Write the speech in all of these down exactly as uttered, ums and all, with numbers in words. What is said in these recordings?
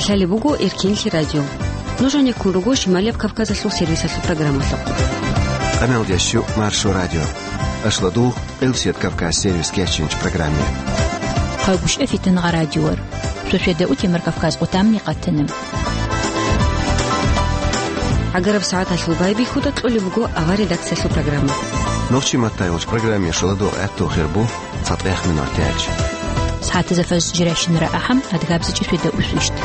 Лъалеб буго Эркенлъи радио. Нуж гьанеккун руго Шималияб Кавказалъул сервисалъул программалъухъ. Къамелдещу Маршо радио. Ашлодугъ, Элсет Кавказ сервис кечинч программе. Хъагушев Фитнагъа радиор. Сосведа утемар Кавказ къутамни къатана. ГӀагараб сагӀаталъул байбихьуда кьолеб буго авар редакциялъул программа. Нохчи маттайгъулч программе шоладугъ гӀатту хирбу. ЦатӀех минут тяч. СагӀатазда фаз жиращинара ахӀам, адгабзичӀи светда усвищт.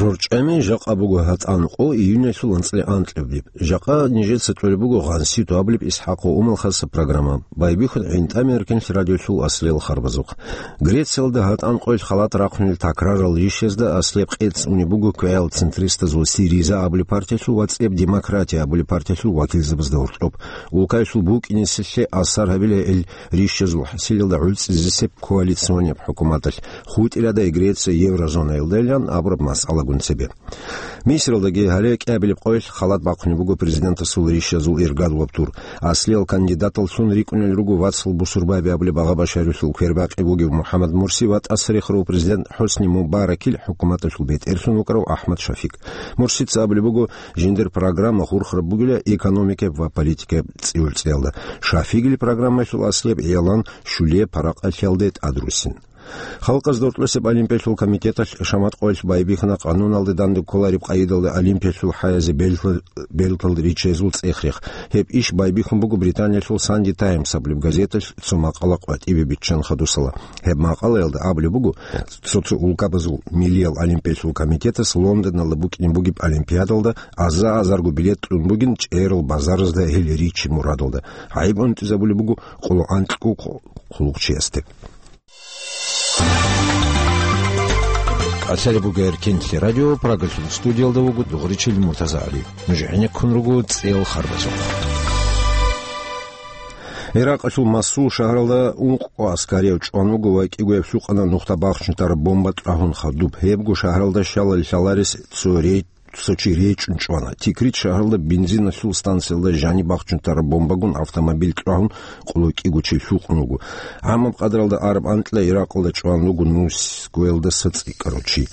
РорчӀами жакъа буго гьатӀан къо июнялъул анцӀила анкьабилеб. Жакъа нижеца кьолеб буго гъанси туабилеб ИсхӀакъ ва Умал хасаб программа. Байбихьун гӀинтӀами Эркенлъи радиолъул аслиял харбазухъ. Грециялда гьатӀан къоялъ халат рахъунел такрарал ришазда аслияб къец унеб буго квегӀал центристазул Сириза абулеб партиялъул ва цӀеб Демократия абулеб партиялъул вакилзабазда гьоркьоб. Улкаялъул букӀинесилъе асар гьабила гьел ришазул хӀасилалда гӀуцӀизе сеп коалиционияб хӀукуматалъ, хутӀиладай Греция еврозонаялдайилан абураб масъалагун цебе. Мисралдаги гьале кӀиабилеб къоялъ халат бахъунеб буго президентасул ришазул иргадулаб тур. Аслиял кандидаталлъун рикӀкӀунел руго вацал бусурбаби абулеб Агъа Башарилъул квербакъи вугев МухӀаммад Мурси ва тӀасарихарав президент ХӀусни Мубаракил хӀукуматалъул бетӀерлъун вукӀарав АхӀмад Шафик. Мурсица абулеб буго, жиндир программа хурхараб бугила экономикаяб ва политикаяб цӀи-урцӀиялда. Шафигил программаялъул аслияб гӀиялан щулияб паракъалъиялде тӀадруссин. Халкъазда гьоркьосеб олимпиялъул комитеталъ шамат къоялъ байбихьана къануналде данде кколареб къайидалда олимпиялъул хӀаязе белкал, белкал ричезул цӀех-рех. Гьеб иш байбихьун буго Британиялъул Санди Таймс абулеб газеталъ цо макъала къватӀибе биччан хадусала. Гьеб макъалаялда абулеб буго, цо-цо улкабазул миллиял олимпиялъул комитетас Лондоналда букӀине бугеб олимпиадалда аза-азарго билет кьун бугин чӀерал базаразда гьел ричи мурадалда. ГӀайиб унтӀизабулеб буго къоло анкьго хъулухъчиясде. Лъалеб буго Эркенлъи радио, Прагалъул студиялда вуго Дугъричил Муртазагьали. Нуж гӀенеккун руго цӀел харбазухъ. Иракъалъул Масул шагьаралда ункъго аскарияв чӀван вуго ва кӀигояб лъукъана нухда бахчунтараб бомба кьвагьун хадуб. Гьебго шагьаралда щалал лъаларес цо рей-, цо чи речӀун чӀвана. Тикрит шагьаралда бензиналъул станциялда жаниб бахчунтараб бомбагун автомобиль кьвагьун къоло кӀиго чи лъукъун вуго. ГӀамаб къадралда араб анкьила Иракъалда чӀван вуго нусгоялдаса цӀикӀкӀарав чи.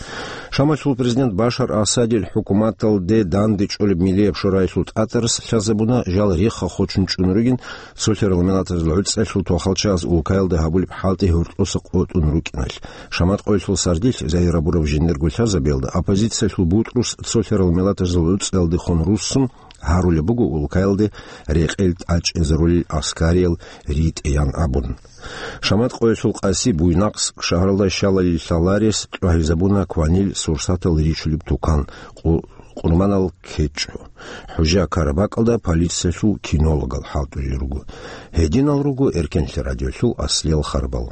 Шамалъул президент Башар Асадил хӀукуматалде данде чӀолеб Миллияб шораялъул тӀатарас лъазабуна жал рехха хочун чӀун ругин, цолъарал миллатазул гӀуцӀиялъул тохалчагӀаз улкаялда гьабулеб хӀалтӀи гьоркьоса къотӀун рукӀиналъ. Шамат къоялъул сардилъ зайир гьабураб жиндирго лъазабиялда оппозициялъул бутӀрус цолъарал миллатазул гӀуцӀиялдехун руссун гьарулеб буго улкаялде рекъел тӀачӀезарулел аскариял ритӀеян абун. Шамат къоялъул къаси Буйнакск шагьаралда щалал лъаларес кьвагьизабуна кванил сурсатал ричулеб тукан, къу-, къурманал кечӀо. ХӀужа Карабакалда полициялъул кинологал хӀалтӀулел руго. Гьединал руго Эркенлъи радиолъул аслиял харбал.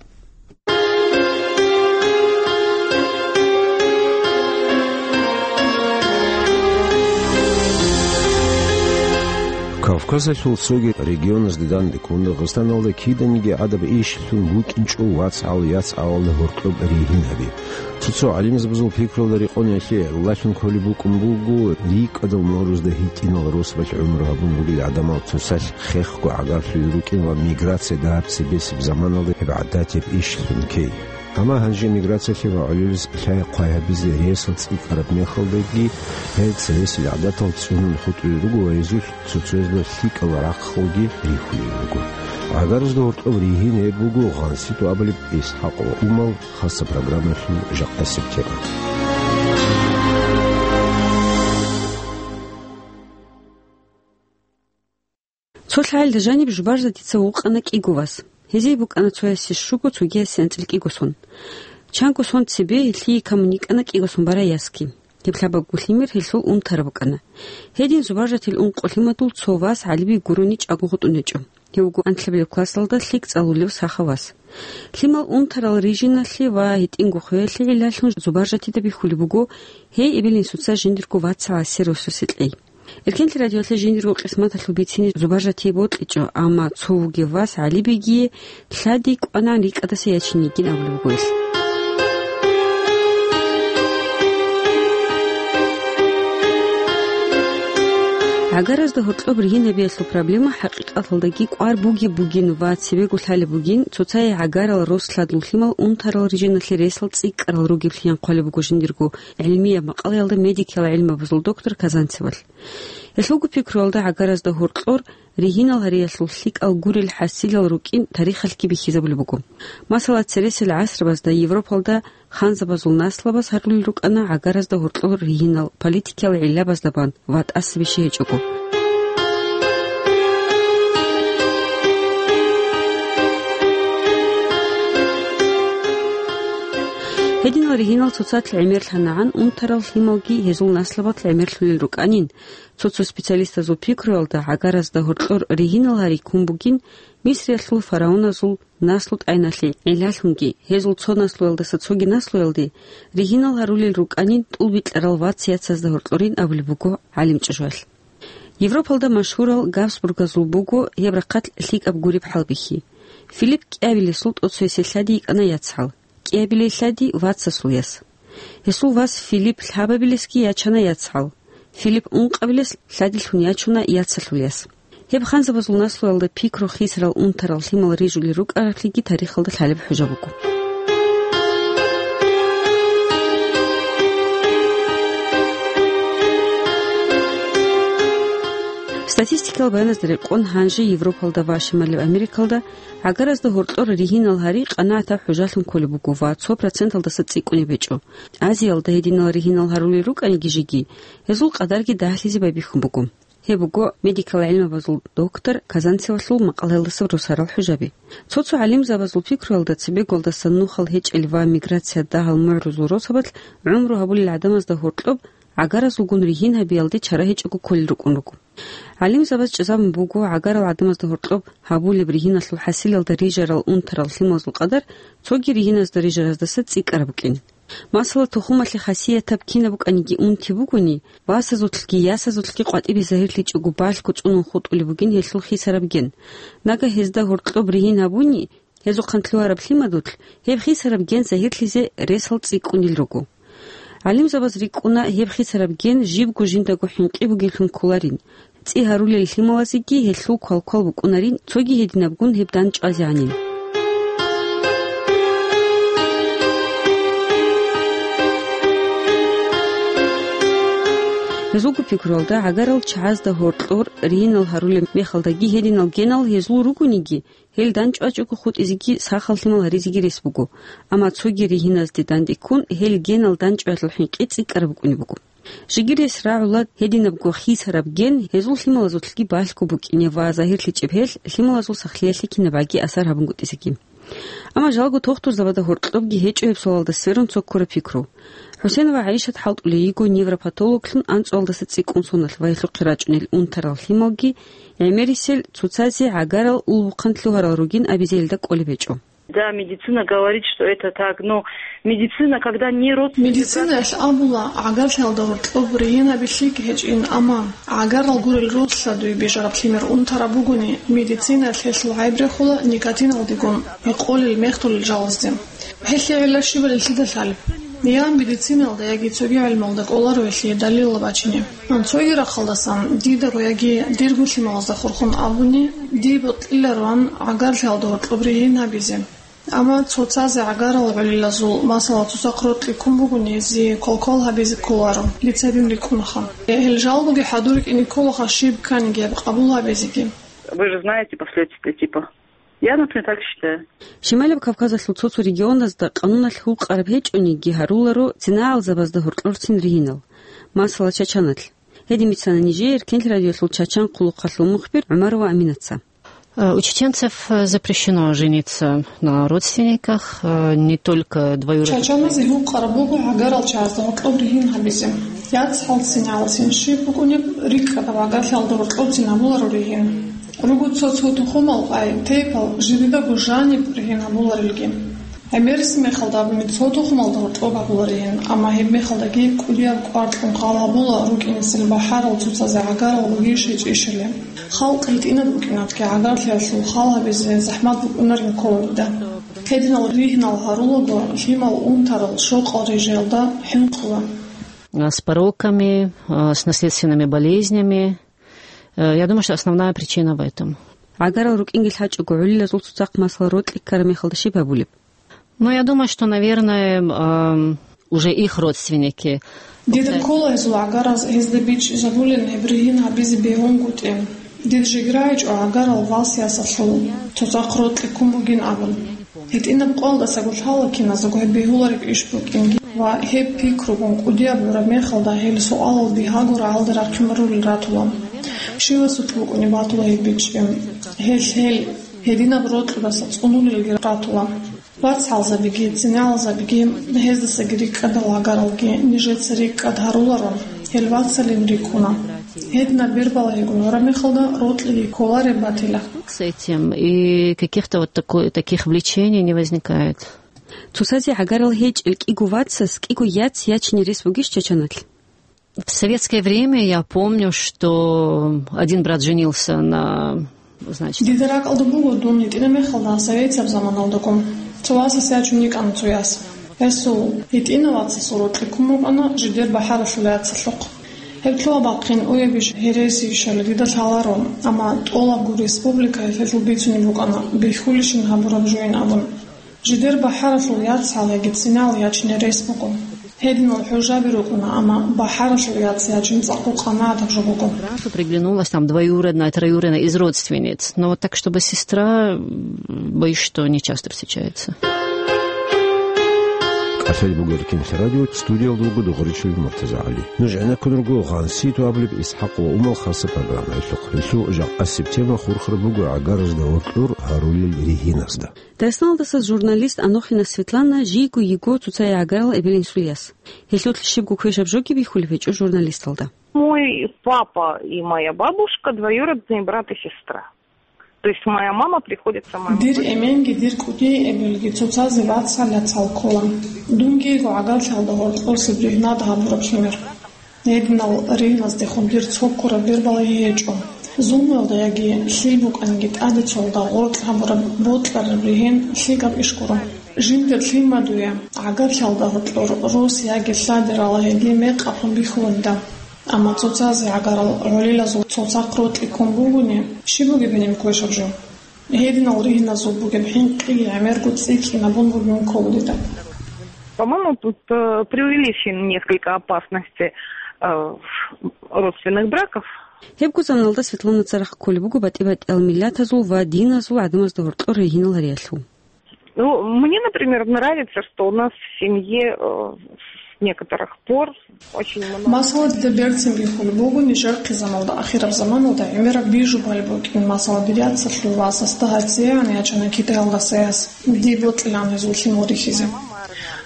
Кавказалъул цоги регионазде данде ккун Дагъистаналда киданиги гӀадаб ишлъун букӀинчӀо вацгӀал-яцгӀалалда гьоркьоб ригьин гьаби. Цо-цо гӀалимзабазул пикруялда рекъон гьелъие гӀолалъун кколеб букӀун буго, рикӀкӀадал морузда гьитӀинал росбалъ гӀумру гьабун ругел гӀадамал цоцалъ хехго гӀагарлъулел рукӀин ва миграция дагьаб цебесеб заманалда гьеб гӀадатияб ишлъун ккей. Амма гьанже миграциялъе ва гӀолилис лъай-хъвай гьабизе ресал цӀикӀкӀараб мехалдаги, гьел цевесел гӀадатал цӀунун хутӀулел руго ва гьезулъ цоцазда лъикӀал рахъалги рихьулел руго. ГӀагарузда гьоркьоб ригьин гьеб буго гъанси тӀубалеб ИсхӀакъ ва Умал хасаб программаялъул жакъасеб тема. Цо лъагӀалда жаниб Жубаржатица вукъана кӀиго вас. Гьезие букӀана цоясе щуго, цогиясе анцӀила кӀиго сон. Чанго сон цебе гьелъие камун йикӀана кӀиго сон барай ясги. Гьеб лъабабго лъимер гьелъул унтараб букӀана. Гьедин Зубаржатил ункъо лъимадул цо вас ГӀалибег гурони чӀаго гъутӀун гьечӀо. Гьев вуго анлъабилеб классалда лъикӀ цӀалулев сахав вас. Лъимал унтарал рижиналъе ва гьитӀинго хвеялъе гӀиллалъун Зубаржатида бихьулеб буго гьей эбел-инсуца жиндирго вацгӀал сер-росасе кьей. Эркенлъи радиоялъе жиндирго къисматалъул бицине Зубаржатие бокьичӀо, амма цо вугев вас ГӀалибегие лъади кӀванагӀан рикӀкӀадаса ячине йигин абулеб буго гьелъ. ГӀагаразда гьоркьоб ригьин гьабиялъул проблема хӀакъикъаталдаги кӀвар бугеб бугин ва цебего лъалеб бугин, цоцае гӀагарал рос-лъадул лъимал унтарал рижиналъе ресал цӀикӀкӀарал ругеблъи хъвалеб буго жиндирго гӀилмияб макъалаялда медикиял гӀилмабазул доктор Казанцевалъ. Гьелъулго пикруялда гӀагаразда гьоркьор ригьинал гьариялъул лъикӀал гурел хӀасилал рукӀин тарихалъги бихьизабулеб буго. Масала, цересел гӀасрабазда Европалда ханзабазул наслабаз гьарулел рукӀана гӀагаразда гьоркьор ригьинал политикиял гӀиллабазда бан ва тӀаса бищи гьечӀого. Гьединал ригьинал цоцалъ гӀемерлъанагӀан унтарал лъималги гьезул наслабалъ гӀемерлъулел рукӀанин, цо-цо специалистазул пикруялда гӀагаразда гьоркьор ригьинал гьари ккун бугин Мисриялъул фараоназул наслу-тӀайналъе гӀиллалъунги, гьезул цо наслуялдаса цоги наслуялде ригьинал гьарулел рукӀанин тӀулбикьарал вац-яцазда гьоркьорин абулеб буго гӀалимчӀужуялъ. Европалда машгьурал Габсбургазул буго гьеб рахъалъ лъикӀаб гуреб хӀалбихьи. Филипп кӀиабилесул тӀоцоясе лъади йикӀана яцгӀал, кӀиабилей лъади вацасул яс. Гьесул вас Филипп лъабабилесги ячана яцгӀал. Филипп ункъабилес лъадилъун ячуна яцалъул яс. Гьеб ханзабазул наслуялда пикру хисарал унтарал лъимал рижулел рукӀараблъиги тарихалда лъалеб хӀужа буго. Статистикал баяназда рекъон, гьанже Европалда ва Шималаб Америкалда гӀагаразда гьоркьор ригьинал гьари къанагӀатаб хӀужалъун кколеб буго ва цо проценталдаса цӀикӀкӀунеб гьечӀо. Азиялда гьединал ригьинал гьарулел рукӀаниги жеги, гьезул къадарги дагьлъизе байбихьун буго. Гьеб буго медикал гӀилмабазул доктор Казанцевалъул макъалаялдаса росарал хӀужаби. Цо-цо гӀалимзабазул пикруялда цебеголдасан нухал гьечӀел ва миграция дагьал мугӀрузул росабалъ гӀумру гьабулел гӀадамазда гьоркьоб гӀагаразулгун ригьин гьабиялде чара гьечӀого кколел рукӀун руго. ГӀалимзабаз чӀезабун буго гӀагарал гӀадамазда гьоркьоб гьабулеб ригьиналъул хӀасилалда рижарал унтарал лъималазул къадар цоги ригьиназда рижараздаса цӀикӀкӀараб букӀин. Масала, тухумалъе хасиятаб кинаб букӀаниги унти бугони, васазулъги ясазулъги къватӀибе загьирлъичӀого балъго цӀунун хутӀулеб бугин гьелъул хисараб ген. Нагагь гьезда гьоркьоб ригьин гьабуни, гьезухъан лъугьараб лъимадулъ гьеб хисараб ген загьирлъизе ресал цӀикӀкӀунел руго. ГӀалимзабаз рикӀкӀуна гьеб хисараб ген жибго жиндаго хӀинкъи бугеблъун кколарин, цӀи гьарулел лъималазеги гьелъул квалквал букӀунарин, цоги гьединабгун гьеб дандчӀвазегӀанин. Гьезулго пикруялда, гӀагарал чагӀазда гьоркьор ригьинал гьарулеб мехалдаги гьединал генал гьезул ругониги, гьел дандчӀвачӀого хутӀизеги сахал лъимал гьаризеги рес буго, амма цоги ригьиназде дандеккун гьел генал дандчӀваялъул хӀинкъи цӀикӀкӀараб букӀунеб буго. Жеги рес рагӀула гьединабго хисараб ген гьезул лъималазулъги балъго букӀине ва загьирлъичӀеб гьел лъималазул сахлъиялъе кинабаги асар гьабунгутӀизеги. Амма жалго тухтурзабазда гьоркьобги гьечӀо гьеб суалалда сверун цо ккураб пикру. ХӀусен ва ГӀайшат хӀалтӀулей йиго невропатологлъун анцӀуалдаса цӀикӀкӀун соналъ ва гьелъухъе рачӀунел унтарал лъималги гӀемерисел цоцазе гӀагарал улбухъан лъугьарал ругин абизе гьелда кӀолеб гьечӀо. Да, медицина говорит, что это так, но медицина, когда не родственник... Медицинаялъ абула, гӀагарлъиялда гьоркьоб ригьин гьабилъиги гьечӀин, амма гӀагарал гурел рос-лъадуй бижараб лъимер унтараб бугони, медицинаялъ гьелъул гӀайб рехула никотиналдегун гьекъолел мехтулел жалазде. Гьелъие гӀилла щибали лъида лъалеб? Я медицинаялда, яги цоги гӀилмалда кӀоларо гьелъие далилал бачине. Цоги рахъалдасан, дидаго яги дирго лъималазда хурхун абуни, дие бокьилароан гӀагарлъиялда гьоркьоб ригьин гьабизе. Амма цоцазе гӀагарал гӀолилазул, масала, цоцахъ рокьи ккун бугони, гьезие квалквал гьабизе кколаро, дица дин рикӀкӀунаха. Гьел жалгоги хӀадурикӀине кколаха щиб кканиги гьеб къабул гьабизеги. Вы же знаете последствия, типа. Я, например, так считаю. Шималаб Кавказалъул цо-цо регионазда къануналъ гьукъараб гьечӀониги гьаруларо цинагӀалзабазда гьоркьорцин ригьинал. Масала, Чачаналъ. Гьедин бицана нижее Эркенлъи радиолъул Чачан хъулухъалъул мухбир ГӀумарова Аминаца. Э, у чеченцев, э, запрещено жениться на родственниках, э, не только двоюродных. Чачаназе гьукъараб буго гӀагарал чагӀазда гьоркьоб ригьин гьабизе. ЯцгӀалцин, гӀалцин щиб букӀунеб, рикӀкӀадаб гӀагарлъиялда гьоркьобцин гьабуларо ригьин. Руго цо-цо тухумал, ай, тейпал, жидедаго жаниб ригьин гьабуларелги. ГӀемерисеб мехалда абуни, цо тухумалда гьоркьоб гьабуларигин, амма гьеб мехалдаги кӀудияб кӀвар кьун хал гьабула рукӀинесел бахӀарал цоцазе гӀагарал ругищ гьечӀищали. Халкъ гьитӀинаб букӀинатги гӀагарлъиялъул хал гьабизе захӀмат букӀунарин ккола дида. Гьединал ригьинал гьарулаго, лъимал унтарал щокъал рижаялда хӀинкъула. А, с пороками, а, с наследственными болезнями. Э, я думаю, что основная причина в этом. ГӀагарал рукӀинги лъачӀого, гӀолилазул цоцахъ масала рокьи ккараб мехалда щиб гьабулеб? Ну, я думаю, что, наверное, ам, уже их родственники. Дида ккола гьезул гӀагараз гьезда бичӀчӀизабулин гьеб ригьин гьабизе бегьунгутӀи. Дир жигра гьечӀо гӀагарал валс ясалъул цоцахъ рокьи ккун бугин абун. ГьитӀинаб къоялдасаго лъала киназдаго гьеб бегьулареб иш букӀинги ва гьеб пикругун кӀудияб гӀураб мехалда гьел суалал бигьаго рагӀалда рахъинарулел ратула. Щивасулъ букӀунеб батула гьеб бичӀчӀи. Гьел, гьел гьединаб рокьудаса цӀунулелги ратула. ВацгӀалзабиги, цинагӀалзабиги, гьездасаги рикӀкӀадал гӀагаралги нижеца рикӀкӀад гьаруларо, гьел вацалин рикӀкӀуна. Гьединаб бербалагьигун гӀураб мехалда рокьиги кколареб батила. С этим и каких-то вот такой, таких влечений не возникает. Цоцазе гӀагарал гьечӀел кӀиго вацас кӀиго яц ячине рес бугищ Чачаналъ? В советское время я помню, что один брат женился на, значит... Дида ракӀалда буго дун гьитӀина мехалда советияб заманалдаго. Цо васас ячун йикӀана цо яс. Гьесул гьитӀина вацасул рокьи ккун букӀана жидер бахӀаралъул яцалъухъ. Гьеб лъугьа-бахъин уябищ гьересийищали дида лъаларо, амма тӀолабго республикаялъ гьелъул бицунеб букӀана бихьулищин гьабураб жойин абун. Жидер бахӀаралъул яц гьале гицинал ячине рес буго. Гьединал хӀужаби рукӀуна, амма бахӀаралъул яц ячин цӀакъго къанагӀатаб жо буго. Сразу приглянулась там двоюродная, троюродная из родственниц. Но вот так, чтобы сестра, м, боюсь, что не часто встречается. КӀалъай бугеб кинлъи радио, студиялда вуго Дугъричилин МуртазагӀали. Нуж гӀенеккун руго Гъанситу абулеб ИсхӀакъ ва Умал хасаб программаялъухъ. Гьелъул жакъасеб тема хурхараб буго гӀагаразда гьоркьор гьарулел ригьиназда. Дагъистаналдаса журналист Анохина Светлана жийго йиго цоцае гӀагарал эбел-инсул яс. Гьелъулъ щибго квешаб жоги бихьулеб гьечӀо журналисталда. Мой папа и моя бабушка двоюродные брат и сестра. То есть моя мама приходится моему... Дир эменги дир кӀудияй эбелги цоцазе вацал-яцал ккола. Дунги йиго гӀагарлъиялда гьоркьосеб ригьнад гьабураб лъимер. Гьединал ригьназдехун дир цо ккураб бербалагьи гьечӀо. Зулмуялда яги лъил букӀаниги тӀаде цолда гъоркь гьабураб бокьараб ригьин лъикӀаб иш гуро. Жиндир лъимадуе гӀагарлъиялда гьоркьор рос яги лъади ралагьиги мекъаблъун бихьуланида. Амма цоцазе гӀагарал гӀолилазул цоцахъ рокьи ккун бугони, щиб бугеб гьениб квешаб жо? Гьединал ригьназул бугеб хӀинкъиги гӀемерго цӀикӀкӀинабун бугин ккола дида. По-моему, тут, э, преувеличены несколько опасности, э, родственных браков. Гьебго заманалда Светлана царахъ кколеб буго батӀи-батӀиял миллатазул ва диназул гӀадамазда гьоркьор ригьинал гьариялъул. Ну, мне, например, нравится, что у нас в семье, э, с некоторых пор очень много... Масала, дида берцин бихьулеб буго нижер хъизаналда, ахираб заманалда гӀемераб бижубали букӀин, масала, дир яцалъул васасда гьатӀигӀан ячана Китаялдаса яс, дие бокьилаан гьезул лъимал рихьизе.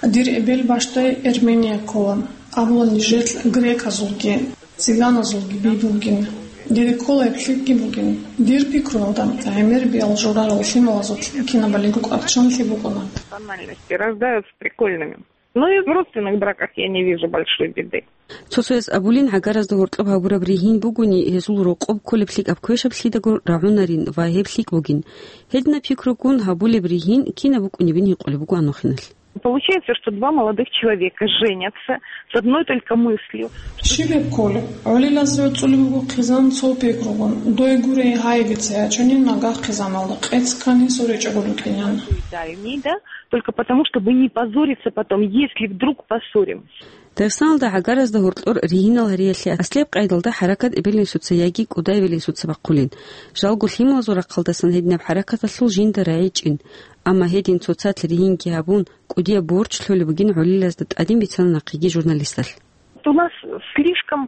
Дир эбел бащдай Эрмения ккола, абула нижер греказулги, цыганазулги би бугин. Дида ккола гьеб лъикӀги бугин. Дир пикруялда, гӀемер биал журарал лъималазул кинабалиго кӀварччан лъи букӀуна. Национальности рождаются прикольными. Но и в родственных браках я не вижу большой беды. Цо-цояз абулин, гӀагаразда гьоркьоб гьабураб ригьин бугони, гьезул рокъоб кколеб лъикӀаб квешаб лъидаго рагӀунарин ва гьеб лъикӀ бугин. Гьединаб пикругун гьабулеб ригьин кинаб букӀунебин гьикъулеб буго Анохиналъ. Получается, что два молодых человека женятся с одной только мыслью. Щиб гьеб кколеб? ГӀолилазе цӀулеб буго хъизан цо пикругун: дой гурей, гьайги цеячӀони, нагагь хъизаналда къец ккани, суречӀого рукӀинеян. Да, только потому, чтобы не позориться потом, если вдруг поссоримся. Дагъистаналда гӀагаразда гьоркьор ригьинал гьариялъе аслияб къайдалда хӀаракат эбел-инсуца яги кӀуда эбел-инсуца бахъулин. Жалго лъималазул рахъалдасан гьединаб хӀаракаталъул жинда рагӀичӀин. Амма гьедин цоцалъ ригьинги гьабун, кӀудияб борч лъолеб бугин гӀолилазда тӀадин бицана нахъеги журналисталъ. У нас слишком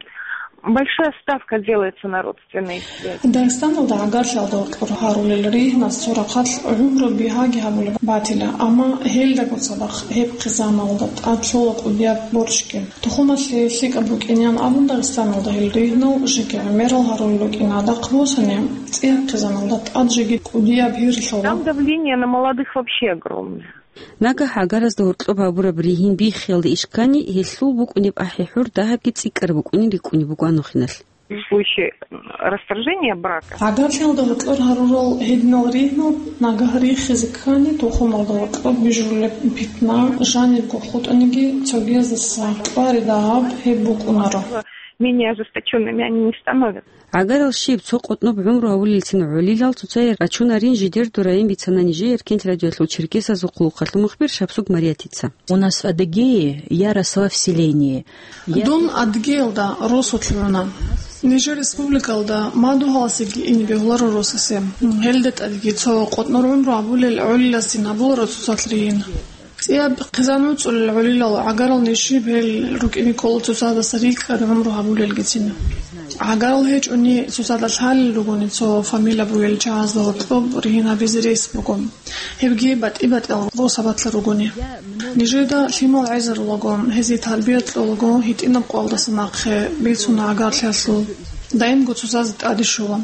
большая ставка делается на родственные связи. Дагъистаналда гӀагарлъиялда гьоркьор гьарулел ригьназ цо рахъалъ гӀумру бигьаги гьабулеб батила, амма гьелдаго цадахъ гьеб хъизаналда тӀад лъола кӀудияб борчги. Тухумалъе лъикӀаб букӀинеян абун, Дагъистаналда гьел ригьнал жеги гӀемерал гьарулел рукӀина, дагъ босани, цӀияб хъизаналда тӀад жеги кӀудияб гьир лъола. Там давление на молодых вообще огромное. Нагагь гӀагаразда гьоркьоб гьабураб ригьин биххиялда иш ккани, гьелъул букӀунеб ахӀи-хӀур дагьабги цӀикӀкӀараб букӀунин рикӀкӀунеб буго Анохиналъ. В случае расторжения брака. ГӀагарлъиялда гьоркьор гьарурал гьединал ригьнал нагагь рихизе ккани, тухумалда гьоркьоб бижулеб питна жанибго хутӀаниги, цогияздаса кьвари дагьаб гьеб букӀунаро. Менее ожесточёнными они не становятся. ГӀагарал щиб, цо къотӀноб гӀумру гьавулелцин гӀолилал цоцае рачунарин жидер дураин бицана нижее Эркенлъи радиоялъул черкесазул хъулухъалъул мухбир Шабсуг Мариятица. У нас в Адыгее я росла в селении. Я Дун Адыгеялда росулъ гӀуна. Нижер республикалда мадугьаласеги ине бегьуларо росасе. Гьелда тӀадги цо къотӀнор гӀумру гьабулел гӀолиласин гьабуларо цоцалъ ригьин. ЦӀияб хъизан вуцӀцӀулел гӀолилал гӀагарал ниж щиб гьел рукӀине ккола цоцаздаса рикӀкӀад гӀумру гьабулелгицин. ГӀагарал гьечӀони цоцазда лъалел ругони цо фамилия бугел чагӀазда гьоркьоб ригьин гьабизе рес буго. Гьебги батӀи-батӀиял росабалъа ругони. Нижеда лъимал гӀезарулаго, гьезие тарбия кьолаго, гьитӀинаб къоялдаса нахъе бицуна гӀагарлъиялъул, даимго цоцазе тӀаде щола.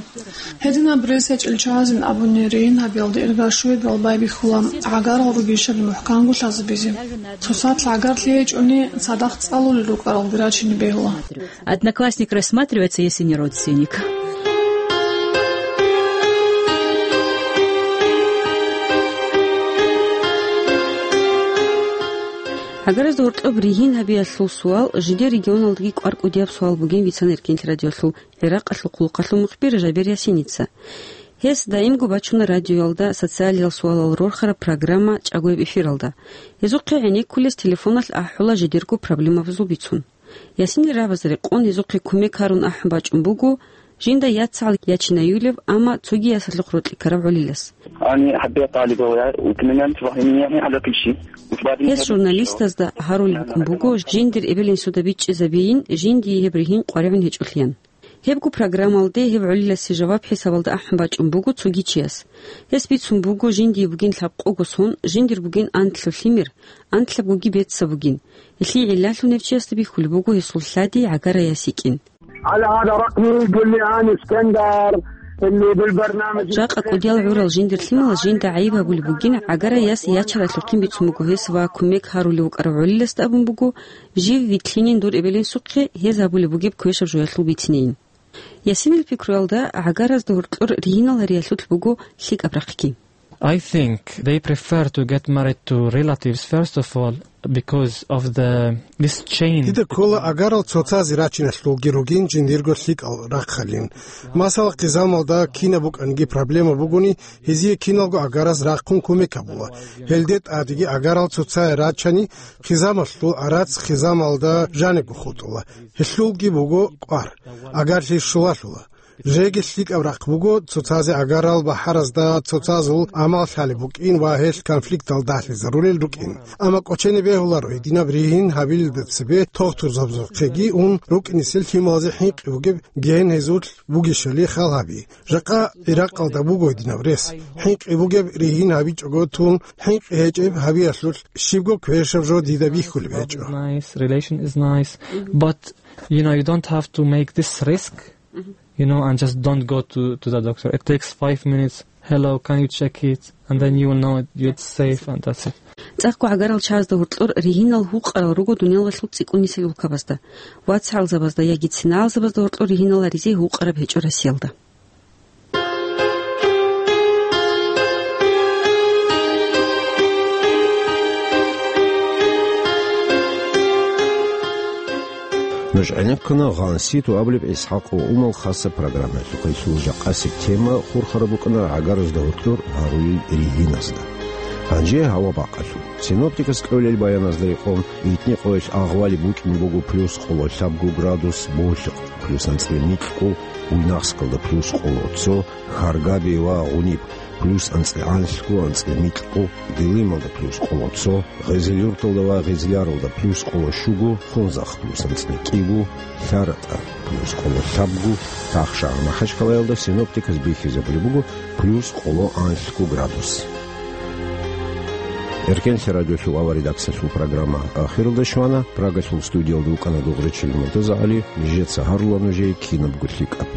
Гьединаб рес гьечӀел чагӀазин абуни ригьин гьабиялда ирга щуябал байбихьула гӀагарал ругищали мухӀканго лъазабизе. Цоцалъ гӀагарлъи гьечӀони цадахъ цӀалулел рукӀаралги рачине бегьула. Одноклассник рассматривается, если не родственник. ГӀагаразда гьоркьоб ригьин гьабиялъул суал жидер регионалдаги кӀвар-кӀудияб суал бугин бицана Эркенлъи радиоялъул ГӀиракъалъул хъулухъалъул мухбир Жабер Ясиница. Гьес даимго бачуна радиоялда социалиял суалал рорхараб программа чӀагояб эфиралда. Гьезухъе гӀенеккулес телефоналъ ахӀула жидерго проблемабазул бицун. Ясинил рагӀабазе рекъон гьезухъе кумек гьарун ахӀун бачӀун буго жинда яцгӀал ячинаюлеб, амма цоги ясалъухъ рокьи ккараб гӀолилас. Они хотят талибов, я, упоминать, они хотят пищи. Гьес журналистазда гьарулеб букӀун буго, жиндир эбел-инсуда бичӀчӀизабейин, жиндие гьеб ригьин къваригӀун гьечӀолъиян. Гьебго программалде гьеб гӀолиласе жаваб хӀисабалда ахӀун бачӀун буго цоги чияс. Гьес бицун буго, жиндие бугин лъабкъого сон, жиндир бугин анлъго лъимер, анлъабгоги бецав бугин. Гьелъие гӀиллалъун гьев чиясда бихьулеб буго гьесул лъади гӀагараяс йикӀин. على هذا رقمي، قل لي أنا اسكندر اللي بالبرنامج. Жакъа кӀудиял гӀурал жиндир лъималаз жинда гӀайиб гьабулеб бугин, гӀагараяс ячаралъухъин бицун буго гьес ва кумек гьарулев вукӀарав гӀолиласда абун буго, жив вилълъинин дур эбел-инсухъе, гьез гьабулеб бугеб квешаб жоялъул бицинейин. Ясинил пикруялда, гӀагаразда гьоркьор ригьинал гьариялъулъ буго лъикӀаб рахъги. I think they prefer to get married to relatives, first of all, because of the, this chain. Дида ккола гӀагарал цоцазе рачиналъулги ругин жиндирго лъикӀал рахъалин. Масала, хъизамалда кинаб букӀаниги проблема бугони, гьезие киналго гӀагараз рахъун кумек гьабула. Гьелде тӀадеги гӀагарал цоцае рачани, хъизамалъул гӀарац хъизамалда жанибго хутӀула. Гьелъулги буго кӀвар. ГӀагарлъи щулалъула. Жеги лъикӀаб рахъ буго, цоцазе гӀагарал бахӀаразда цоцазул амал лъалеб букӀин ва гьелъ конфликтал дагьлъизарулел рукӀин. Амма кӀочене бегьуларо гьединаб ригьин гьабилелда цебе тогтурзабазухъеги ун рукӀинесел лъималазе хӀинкъи бугеб ген гьезулъ бугищали хал гьаби. Жакъа ГӀиракъалда буго гьединаб рес. ХӀинкъи бугеб ригьин гьабичӀого тун, хӀинкъи гьечӀеб гьабиялъулъ щибго квешаб жо дида бихьулеб гьечӀо. Nice, relation is nice, but, you know, you don't have to make this risk, you know, and just don't go to, to the doctor. It takes five minutes. "Hello, can you check it?" And then you will know it, it's safe, and that's it. ЦӀакъго гӀагарал чагӀазда гьоркьор ригьинал гьукъарал руго дуниялалъул цӀикӀкӀунисел улкабазда. ВацгӀалзабазда яги цинагӀалзабазда гьоркьор ригьинал гьаризе гьукъараб гьечӀо Россиялда. Нуж гӀенеккуна «Гъанси ту» абулеб ИсхӀакъ ва Умал хасаб программаялъухъ. Гьелъул жакъасеб тема хурхараб букӀана гӀагаразда гьоркьор гьарулел ригьиназда. Гьанже гьава бакъалъул. Синоптикас кьолел баяназда рекъон, итни къоялъ агъвали букӀин буго плюс къоло лъабго градус Болъихъ, плюс анцӀила микьго, Буйнакскалда плюс къоло цо, Харгаби ва Гъуниб плюс анцӀила анлъго, анцӀила микьго, Дилималда плюс къоло цо, Гъезилюрталда ва Гъезляралда плюс къоло щуго, Хунзахъ плюс анцӀила кӀиго, ЛъаратӀа плюс къоло лъабго, Тахшагьар, Махачкалаялда синоптиказ бихьизабулеб буго плюс къоло анлъго градус. Эркенлъи радиолъул авария редакциялъул программа ахиралде щвана. Прагалъул студиялда вукӀана Дугъричил МуртазагӀали, нижеца гьарула нужее кинабго лъикӀаб.